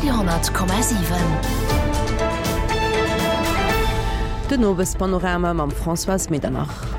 Radio 10,7. Den Owespanorama mam Françoise Medernach.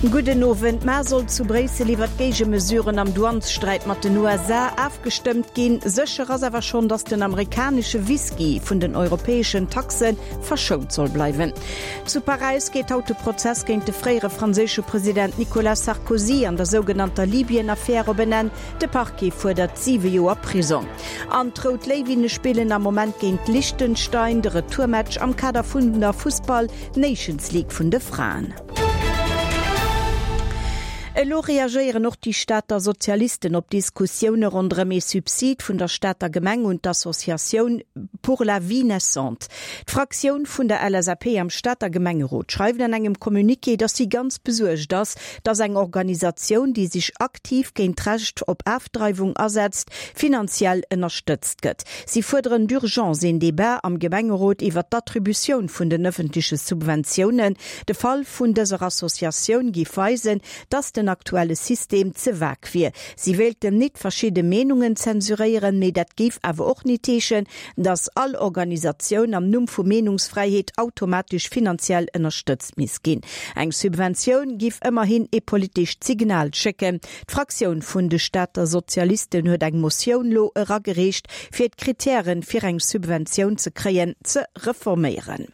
Gudden Owend. Mar soll zu Bréissel iwwer d'Géigemesuren am Douanessträit mat den USA afgestëmmt ginn. Sécher ass awer schonn, datt den amerikanesche Whisky vun den europäeschen Taxe verschount soll bleiwen. Zu Paräis geet haut de Prozess géint de fréiere franséische President Nicolas Sarkozy an der sougenannter Libyen-Affär op en Enn. De Parquet fuerdert 7 Joer Prisong. An d'Rout Léiwinne spillen am Moment géint Liechtenstein de Retourmatch am Kader vun der Fussball Nations League vun de Fraen. Elo reagéieren och déi Stater Sozialisten op Diskussioune ronderëm ee Subsid vun der Stater Gemeng un d'Associatioun Pour la vie naissante. D'Fraktioun vun der LSAP am Stater Gemengerot schreift an engem Communiqué, datt si ganz besuergt ass, datt eng Organisatioun, déi sech aktiv géint d'Recht op Afdreiwung asetzt, finanziell ënnerstëtzt gëtt. Si fuerderen d'urgence een Debat am Gemengerot iwwer d'Attributioun vun den ëffentleche Subventiounen. De Fall vun dëser Associatioun géif weisen, datt den aktuelle System ze vag wier. Si wéilten nit verschidde Meenungen zensuréieren, mee dat géif awer och nit heeschen, datt all Organisatioun am Numm vu Meenungsfräiheet automatesch finanziell ënnerstëtzt misst ginn. Eng Subventioun giff ëmmerhin ee politescht Signal schécken. D'Fraktioun vun de Stater Sozialisten huet eng Motioun lo eragereecht, fir d'Kritären, fir eng Subventioun ze kréien, ze reforméieren.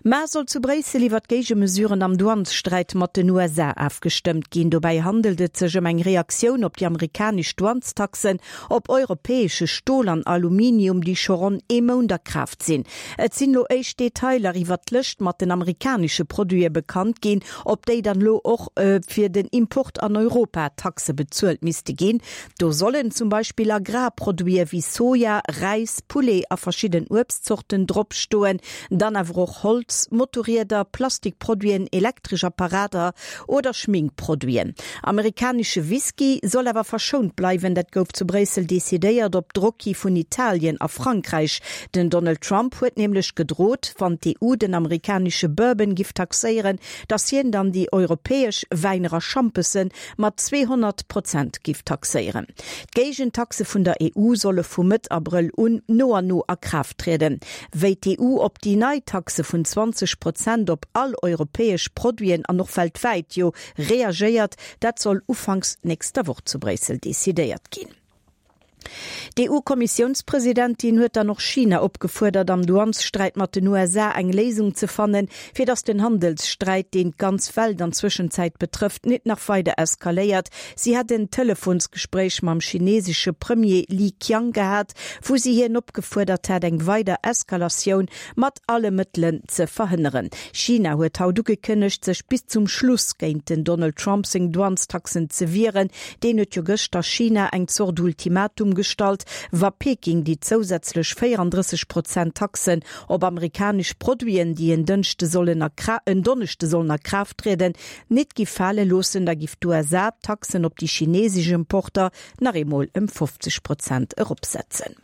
Mar soll zu Bréissel iwwer d'Géigemesuren am Douanessträit mat den USA afgestëmmt ginn. Dobäi handelt et sech ëm eng Reaktioun op déi amerikanesch Douanestaxen op europäesche Stol an Aluminium, déi scho ronn ee Mount a Kraaft sinn. Et sinn elo éischt Detailer iwwer d'Lëscht mat den amerikanesche Produite bekannt ginn, op déi dann elo och fir den Import an Europa Taxe bezuelt misste ginn. Do sollen zum Beispill Agrarproduite wéi Soja, Räis, Poulet a verschidden Uebstzorten drop stoen, dann awer och Holz, Motorrieder, Plastikproduiten, elektresch Apparater oder Schminkproduiten. Amerikanesche Whisky soll awer verschount bleiwen, dat gouf zu Bréissel decidéiert op Drock hi vun Italien a Frankräich. Den Donald Trump huet nämlech gedrot, wann d'EU den amerikanesche Bourbon giff taxéieren, datt hien dann déi europäesch Wäiner a Schampesen mat 200 Prozent giff taxéieren. D'Géigentaxe vun der EU solle vu Mëtt Abrëll un no an no a Kraaft trieden. Wéi d'EU op déi nei Taxe vun 20 Prozent op all europäesch Produiten an och weltwäit jo reagéiert, dat soll ufanks nächster Woch zu Bréissel decidéiert ginn. D'EU-Kommissiounspresidentin huet dann och China opgefuerdert, am Douanessträit mat den USA eng Léisung ze fannen, fir datt den Handelssträit, deen d'ganz Welt an Zwëschenzäit betrëfft, nit nach weider eskaléiert. Si hätt en Telefonsgespréich mam chinesesche Premier Li Qiang gehat, wou si hien opgefuerdert hat, eng weider Eskalatioun mat alle Mëttelen ze verhënneren. China huet haut ugekënnegt, sech bis zum Schluss géint den Donald Trump seng Douanestaxen ze wieren. Deen huet jo gëschter China eng Zort Ultimatum gestallt, wa Peking déi zousätzlech 34 Prozent Taxen op amerikanesch Produiten, déi en Dënschde sollen a en Donneschde sollen a Kraaft trieden, nit giff fale loossen, da giff d'USA d'Taxen op déi chinesesch Importer nach eemol ëm 50 Prozent eropsetzen.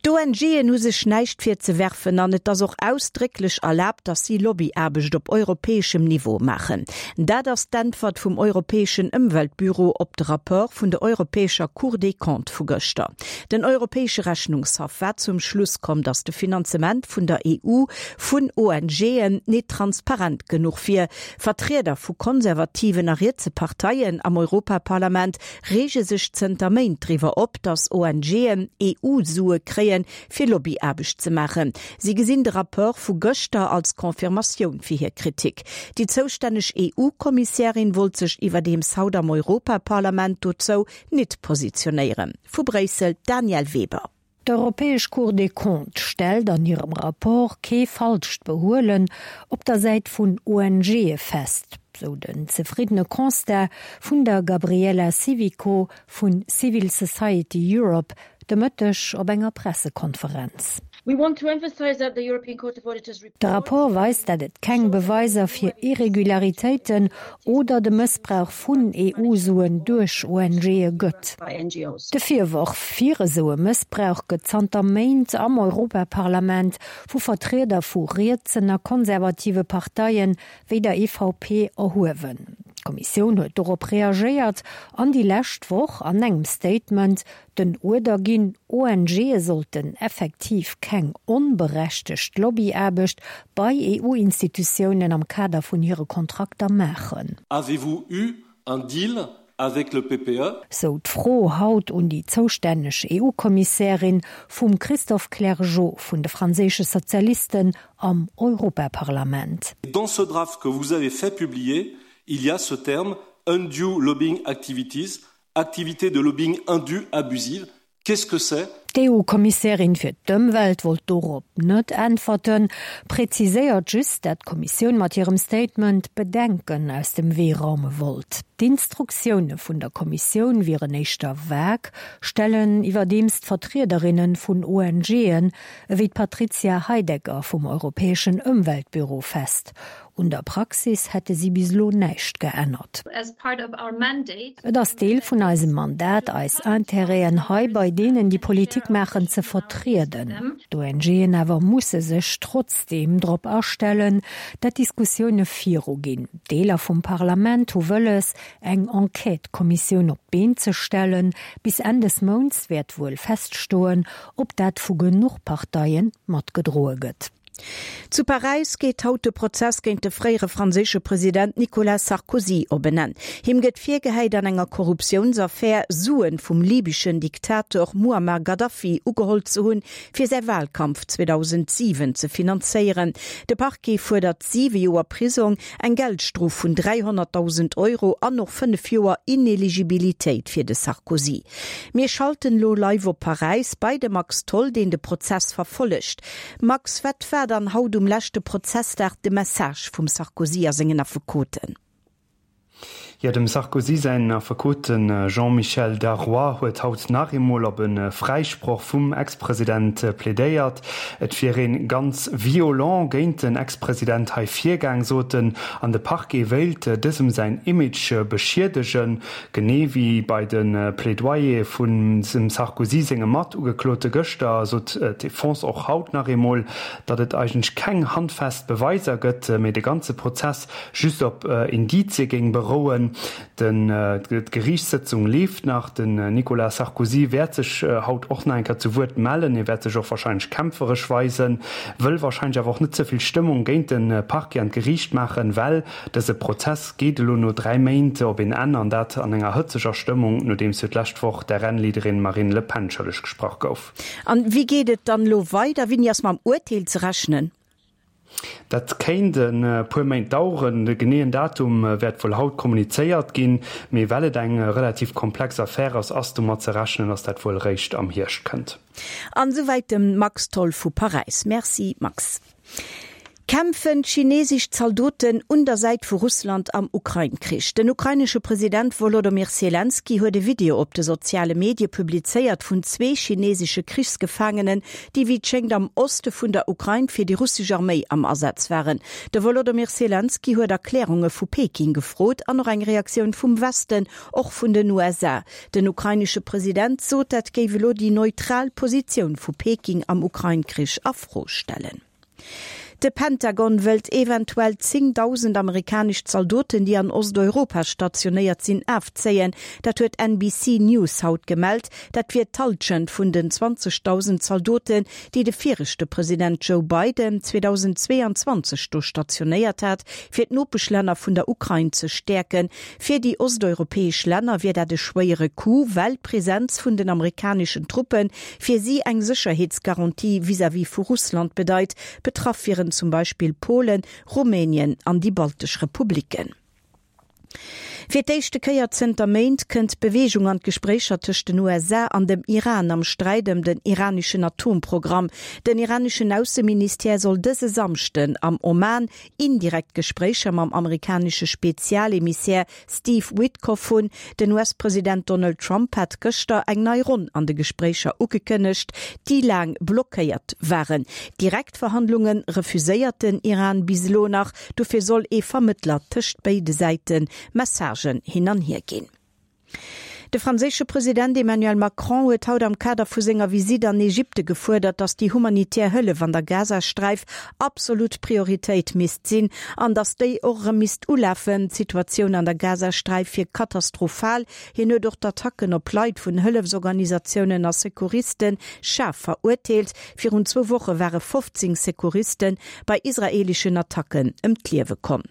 D'ONGen hu sech näischt virzewerfen an et ass och ausdrécklech erlaabt, datt si Lobbyaarbecht op europäeschem Niveau maachen. Dat ass d'Äntwert vum europäeschen Ëmweltbüro op de Rapport vun der europäescher Cour des Comptes vu gëschter. Den europäesche Rechnungshaff war zum Schluss komm, datt de Finanzement vun der EU vun ONGen nit transparent genuch wier. Vertrieder vu konservativen a rietse Parteien am Europaparlament reege sech zënter Méint driwwer op, datt ONGen EU-Sue kréien, fir Lobbyaarbecht ze maachen. Si gesinn de Rapport vu gëschter als Confirmatioun fir hir Kritik. Déi zoustänneg EU-Kommissärin wollt sech iwwerdeems haut am Europaparlament dozou nit positionéieren. Vu Bréissel d'Danièle Weber. D'Europäesch Cour des Comptes stellt an hirem Rapport kee falscht Behuelen op der Säit vun ONGe fest, sou den zefriddene Constat vun der Gabriella Civico vun Civil Society Europe de Mëtteg op enger Pressekonferenz. De Rapport weist, dat et keng Beweiser fir Irregularitéiten oder de Mëssbrauch vun EU-Suen duerch ONGe gëtt. De Virworf fir esou e Mëssbrauch gëtt zanter Méint am Europaparlament vu Vertrieder vu rietsen a konservative Parteien wéi der EVP erhuewen. D'Kommissioun huet dorop reagéiert an déi lescht Woch an engem Statement den Uerder ginn, ONGe sollten effektiv keng onberechtegt Lobbyaarbecht bei EU-Institutiounen am Kader vun hire Kontrakter maachen. Avez-vous eu un deal avec le PPE? Sou d'Fro haut un déi zoustänneg EU-Kommissärin vum Christophe Clergeau vun de franséische Sozialisten am Europaparlament. Dans ce draft que vous avez fait publier, il y a ce terme undue lobbying activities, activités de lobbying indues abusives, qu'est-ce que c'est? D'EU-Kommissärin fir d'Ëmwelt wollt dorop net äntwerten, präziséiert just, dat d'Kommissioun mat hirem Statement Bedenken aus dem Wee raume wollt. D'Instruktioune vun der Kommissioun wieren éischter vag, stellen iwwerdeems d'Vertriederinne vun ONGen ewéi d'Patrizia Heidegger vum Europäeschen Ëmweltbüro fest. Un der Praxis hätte si bis elo näischt geännert. Et ass Deel vun eisem Mandat, eis Intérêten hei bei deenen, déi Politik maachen, ze vertrieden. D'ONGen awer musse sech trotzdeem drop astellen, dat d'Diskussioune viruginn. Deeler vum Parlament hu wëlles, eng Enquête-Kommissioun op d'Been ze stellen. Bis Enn des Mounts wäert wuel feststoen, ob dat vu genuch Parteie matgedroe gëtt. Zu Paräis geet haut de Prozess géint de fréiere franséische President Nicolas Sarkozy op en Enn. Him gëtt virgehäit, an enger Korruptiounsaffär Suen vum libyschen Diktator Muammar Gaddafi ugeholl ze hunn, fir säi Walkampf 2007 ze finanzéieren. De Parquet fuerdert siwe Joer Prisong, eng Geldstrof vun 300.000 Euro an och 5 Joer Ineligibilitéit fir de Sarkozy. Mir schalten elo live op Paräis bei de Max Tholl, deen de Prozess verfollegt. Max, wat war dann haut um leschte Prozessdag de Message vum Sarkozy a sengen Affekoten? Jo, dem Sarkozy säin Affekot, de Jean-Michel Darrois, huet haut nach eemol op e Fräisproch vum Ex-President plädéiert. Et wier ee ganz violent géint den Ex-President hei virgaang, sot en, an de Parquet wéilt dësem säin Image beschiedegen. Genee wéi bei de Plädoyere vun dem Sarkozy senge Matugeklote gëschter, sot d'Defense och haut nach eemol, datt et eigentlech keng handfest Beweiser gëtt, mee de ganze Prozess just op Indizie géing berouen. D'Geriichtssëtzung leeft nach. Den Nicolas Sarkozy wäert sech haut och nach eng Kéier zu Wuert mellen. Hie wäert sech och warscheinlech kämpferesch weisen, wëll warscheinlech awer och net ze vill Stëmmung géint de Parquet an d'Geriicht maachen, well Dëse Prozess geet elo no 3 Méint op een Enn, an dat an enger hëtzeger Stëmmung, nodeems jo d'lescht Woch d'RN-Leaderin Marine Le Pen schëlleg gesprach gouf. An wéi geet et dann elo weider? Wéini ass mam Urteel ze rechnen? Dat kéint e puer Méint daueren. De geneeën Datum wäert wuel haut kommunizéiert ginn, mee well et eng relativ komplex Affär ass, ass domat ze rechnen, datt dat wuel réischt am Hierscht kënnt. An esouwäit dem Max Tholl vu Paräis. Merci Max. Kämpfen chinesesch Zaldoten un der Säit vu Russland am Ukrain-Krich? Den ukrainesche President Wolodomyr Selenskyj huet e Video op de soziale Medie publizéiert vun zwee chinesesche Krichsgefaangenen, déi wéi et schéngt am Oste vun der Ukrain fir déi russesch Arméi am Asaz waren. De Wolodomyr Selenskyj huet Erklärunge vu Peking gefrot an och eng Reaktioun vum Westen, och vun den USA. Den ukrainesche President sot, dat géif elo déi neutral Positioun vu Peking am Ukrain-Krich a Fro stellen. De Pentagon wëllt eventuell 10.000 amerikanesch Zaldoten, déi an Osteuropa stationéiert sinn, afzéien. Dat huet NBC News haut gemellt. Dat wier d'Hallschent vun den 20.000 Zaldoten, déi de viregte President Joe Biden 2022 do stationéiert hat, fir d'Nopeschlänner vun der Ukrain ze stäerken. Fir déi osteuropäesch Länner wier dat e schwéiere Coup, well d'Presenz vun den amerikaneschen Truppe fir si eng Sécherheetsgarantie vis-à-vis vu Russland bedeit. Betraff wieren zum Beispill Polen, Rumänien an déi baltesch Republiken. Fir d'éischte Kéier zënter Méint kënnt Beweegung an d'Gespréicher tëscht den USA an dem Iran am Sträit ëm den iraneschen Atomprogramm. Den iraneschen Ausseministère soll dëse Samschden am Oman indirekt Gespréicher mam amerikanesche Spezialemissär Steve Witkoff hunn. Den US-President Donald Trump hat gëschter eng nei Ronn an de Gespréicher ugekënnegt, déi laang blockéiert waren. Direkt Verhandlunge refuséiert den Iran bis elo nach. Dofir soll ee Vermëttler tëscht béide Säite Messagen hin an hier ginn. De franséische President Emmanuel Macron huet haut am Kader vu senger Visitt an Ägypte gefuerdert, datt déi humanitär Hëllef an der Gazasträif absolut Prioritéit misst sinn an datt déi och erëm misst ulafen. D'Situatioun an der Gazasträif wier katastrophal. Hien huet och d'Attacken op Leit vun Hëllefsorganisatiounen a Secouriste schaarf verurteelt. Virun zwou Woche ware 15 Secouriste bei israeeleschen Attacken ëm d'Liewe komm.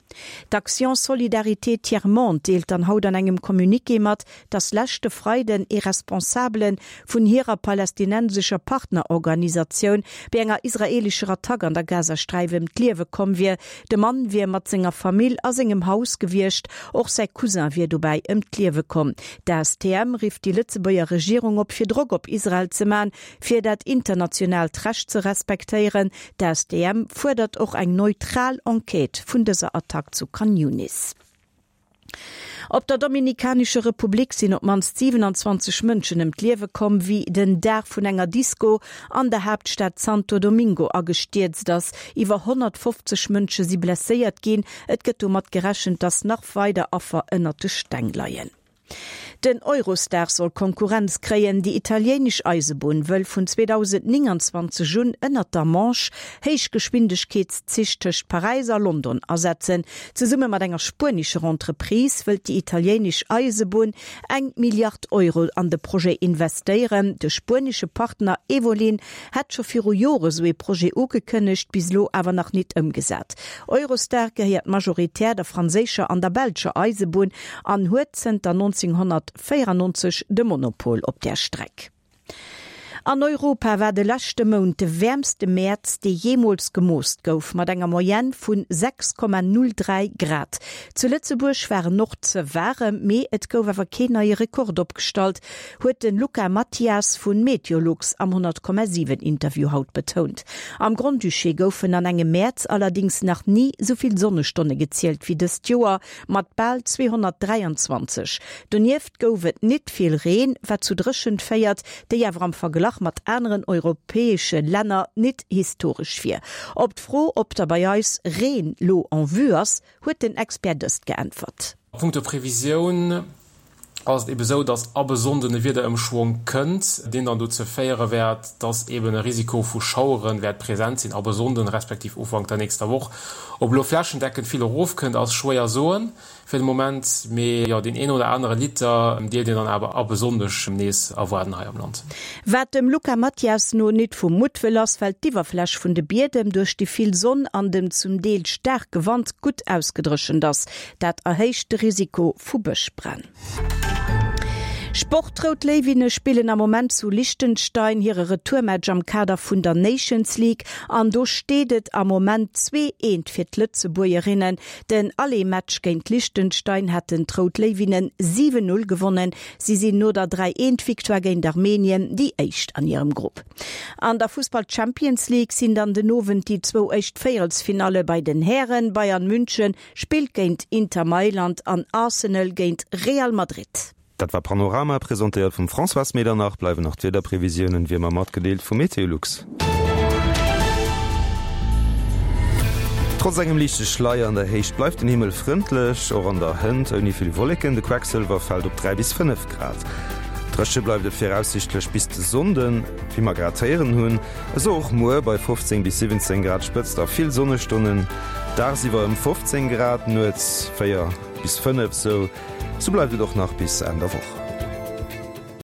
D'Action Solidarité Tiers Monde deelt dann haut an engem Communiqué mat, datt leschte Freiden ee Responsabele vun hirer palästinensescher Partnerorganisatioun bei enger israeelescher Attack an der Gazasträif ëm d'Liewe komm wier. De Mann wier mat senger Famill a sengem Haus gewiescht, och säi Cousin wier dobäi ëm d'Liewe komm. D'ASTM rifft déi Lëtzebuerger Regierung op, fir Drock op Israel ze man, fir dat internationaalt Recht ze respektéieren. D'ASTM fuerdert och eng neutral Enquête vun dëser Attack zu Khan Younis. Op der Dominikanescher Republik sinn op d'mannst 27 Mënschen ëm d'Liewe komm, wéi den Daach vun enger Disko an der Haaptstad Santo Domingo agestierzt ass. Iwwer 150 Mënsche si blesséiert ginn. Et gëtt domat gerechent, datt nach weider Affer ënnert de Steng leien. Den Eurostar soll Konkurrenz kréien. Déi italienesch Eisebunn wëll vun 2029 un ënnert der Manche Héichgeschwindegkeetszich tëscht Paräis a London asetzen. Zesumme mat enger spuenescher Entreprise wëllt déi italienesch Eisebunn eng Milliard Euro an de Projet investéieren. De spuenesche Partner Evolyn hätt scho viru Jore sou ee Projet ugekënnegt, bis elo awer nach nit ëmgesat. Eurostar gehéiert majoritär der franséischer an der belscher Eisebunn an huet zënter 1994 de Monopol op där Streck. An Europa war de leschte Mount de wäermste Mäerz, dee jeemools gemooss gouf, mat enger Moyenne vu 6,03 Grad. Zu Lëtzebuerg war en och ze waarem, mee et gouf awer keen neie Rekord opgestallt, huet de Luca Mathias vu Meteolux am 100,7 Interview haut betount. Am Grand-Duché goufen an engem Mäerz allerdéngs nach ni sou vill Sonnestonne gezielt wéi dëst Joer, mat bal 223. Donieft gouf et nit vill Reen, wat zu Dréchent féiert, déi awer am Verglach mat aneren europäesche Länner nit historesch wier. Op d'Fro, ob da bei eis Reen lo en vue ass, huet den Expert dëst geäntwert. A punkto Previsioun ass et ebe sou, dass ab e Sonnden e Wiederëmschwong kënnt, deen dann dozou féiere wäert, dass eben e Risiko vu Schauere wäert present sinn ab e Sonnden respektiv Ufank der nächster Woch. Ob elo flächendeckend vill erofkënnt, ass schwéier soen fir de Moment, mee jo, deen een oder anere Liter dierft een dann awer ab e Sonndeg nees erwaarden hei am Land. Wat dem Luca Mathias no nit vu Muttwëll ass, well d'Iwwerfläch vun de Biedem duerch déi vill Sonn an dem zum Deel staarke Wand gutt ausgedréchent ass. Dat erhéicht de Risiko vu Bëschbränn. Sport, D'Rout Léiwinne spillen am Moment zu Liechtenstein hire Retourmatch am Kader vun der Nations League an do steet et am Moment 2, 1 fir d'Lëtzebuergerinnen. Den Aller-Match géint Liechtenstein haten d'Rout Léiwinnen 7, 0 gewonnen. Si sinn no der 3, 1 Victoire géint Armenien déi éischt an hirem Grupp. An der Fussball Champions League sinn dann den Owend déi zwou éischt Véierelsfinalle bei den Hären. Bayern München Spillt géint Inter Mailand an Arsenal géint Real Madrid. Dat war Panorama, presentéiert vum Françoise Medernach. Bleiwen nach d'Wiederprevisiounen, wéi ëmmer matgedeelt vu Meteolux. Trotz engem liichte Schleier an der Héicht bleift den Himmel frëndlech, och an der Hënt ouni vill Wolleken. De Quecksëlwer fält op 3 bis 5 Grad. Dréche bleift et viraussiichtlech bis de Sonnden, wéi mer grad héieren hunn. Esou och muer bei 15 bis 17 Grad Spëtzt a vill Sonnestonnen, dagsiwwer ëm 15 Grad, nuets 4 bis 5. Sou bleift et och nach bis Enn der Woch.